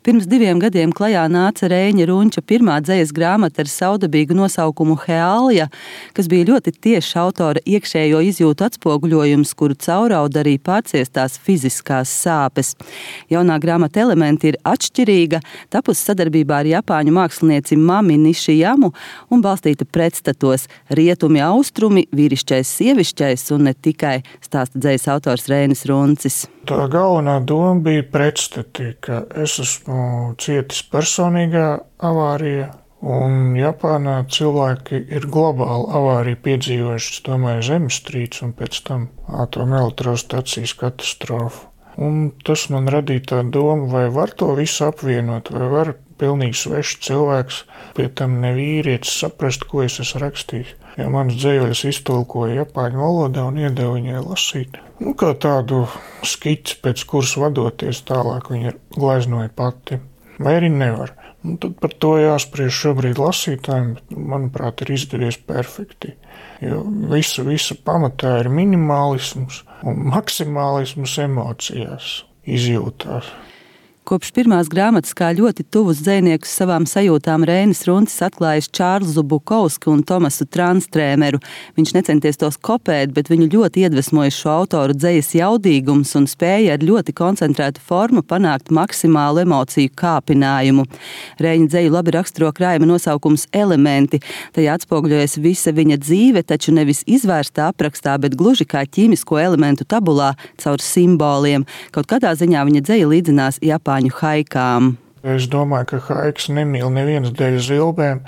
Pirms 2 gadiem klajā nāca Reiņa Runča pirmā dzejas grāmata ar saudabīgu nosaukumu Heālija, kas bija ļoti tieši autora iekšējo izjūtu atspoguļojums, kuru caurauda arī pārciestās fiziskās sāpes. Jaunā grāmata elementi ir atšķirīga, tapusi sadarbībā ar japāņu mākslinieci Mami Nišijamu un balstīta pretstatos rietumi, austrumi, vīrišķais, sievišķais un ne tikai, stāsta dzejas autors Reinis Runcis. Tā galvenā doma bija pretstati, ka es esmu cietis personīgā avārijā, un Japānā cilvēki ir globāli avāriju piedzīvojuši, es domāju, zemestrīci un pēc tam atomelektrostacijas katastrofu. Un tas man radīja tā doma, vai var to visu apvienot, vai var pilnīgi svešs cilvēks, pie tam ne vīrietis, saprast, ko es esmu rakstījis. Ja manas dzējoļas iztulkoja japāņu valodā un iedeva viņai lasīt. Kā tādu skici, pēc kuras vadoties tālāk viņa gleznoja pati. Vai arī nevar. Tad par to jāspriež šobrīd lasītājiem, bet, manuprāt, ir izdevies perfekti. Jo visa pamatā ir minimālisms un maksimālisms emocijās, izjūtās. Kopš pirmās grāmatas kā ļoti tuvus dzejniekus savām sajūtām Reinis Runcis atklājis Čārlzu Bukovsku un Tomasu Transtrēmeru. Viņš necenties tos kopēt, bet viņu ļoti iedvesmoja šo autoru dzejas jaudīgums un spēja ar ļoti koncentrētu formu panākt maksimālu emociju kāpinājumu. Reiņa dzeju labi raksturo krājuma nosaukums Elementi. Tajā atspoguļojas visa viņa dzīve, taču nevis izvērstā aprakstā, bet gluži kā ķīmisko elementu tabulā caur simboliem. Kaut kādā ziņā viņa dzeja līdzinās Japāņu haikām. Es domāju, ka haiks nemīl nevienas dēļ zilbēm,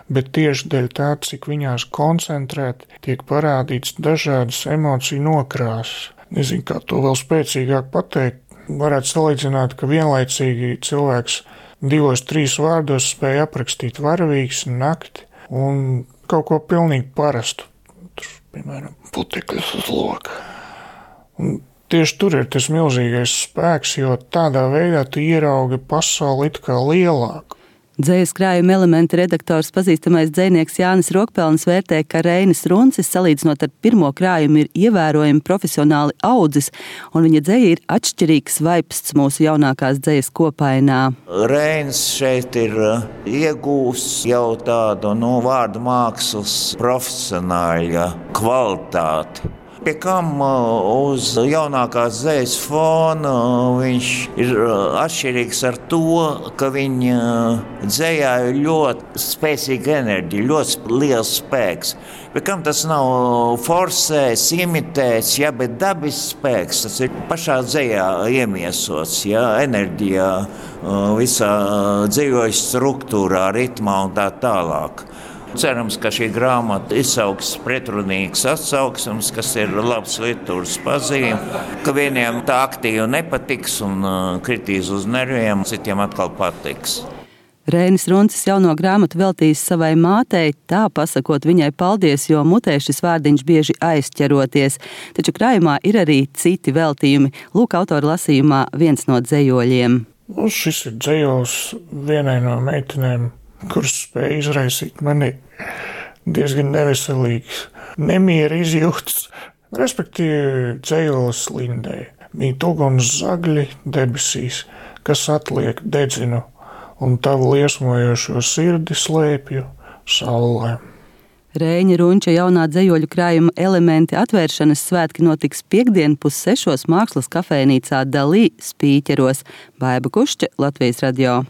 bet tieši dēļ tā, cik viņās koncentrēti tiek parādīts dažādas emociju nokrāsas. Nezinu, kā to vēl spēcīgāk pateikt. Varētu salīdzināt, ka vienlaicīgi cilvēks 2-3 vārdos spēja aprakstīt varavīgs, nakti un kaut ko pilnīgi parastu. Tur, piemēram, putekļus uz loka. Un tieši tur ir tas milzīgais spēks, jo tādā veidā tu ieraugi pasauli it kā lielāku. Dzejas krājuma elementi redaktors pazīstamais dzejnieks Jānis Rokpelnis vērtē, ka Reinis Runcis, salīdzinot ar pirmo krājumu, ir ievērojami profesionāli audzis, un viņa dzeja ir atšķirīgs vaipsts mūsu jaunākās dzejas kopainā. Reinis šeit ir iegūs jau tādu vārdu mākslas profesionāļa kvalitāti. Pie kam uz jaunākās dzejas fona viņš ir atšķirīgs ar to, ka viņa dzejā ir ļoti spēcīga enerģija, ļoti liels spēks. Pie kam tas nav forsēts, imitēts, bet dabisks spēks, tas ir pašā dzejā iemiesots, enerģijā, visā dzejojas struktūrā, ritmā un tā tālāk. Cerams, ka šī grāmata izsauks pretrunīgas atsauksmes, kas ir labs literatūras pazīme, ka vieniem tā aktīvi nepatiks un kritīs uz nerviem, citiem atkal patiks. Reinis Runcis jauno grāmatu veltījis savai mātei, tā pasakot viņai paldies, jo mutē šis vārdiņš bieži aizķeroties. Taču krājumā ir arī citi veltījumi. Lūk, autora lasījumā viens no dzejoļiem. Šis ir dzejols vienai no meitenēm, kuras spēja izraisīt mani diezgan neveselīgs nemiera izjūtas, respektīvi dzejolis Lindei. Mīt uguns zagļi debesīs, kas atliek dedzinu, un tavu liesmojošo sirdi slēpju saulē. Reiņa Runča jaunā dzejoļu krājuma elementi atvēršanas svētki notiks piektdien 5:30 mākslas kafejnīcā Dalī Spīķeros. Baiba Kušķe, Latvijas radio.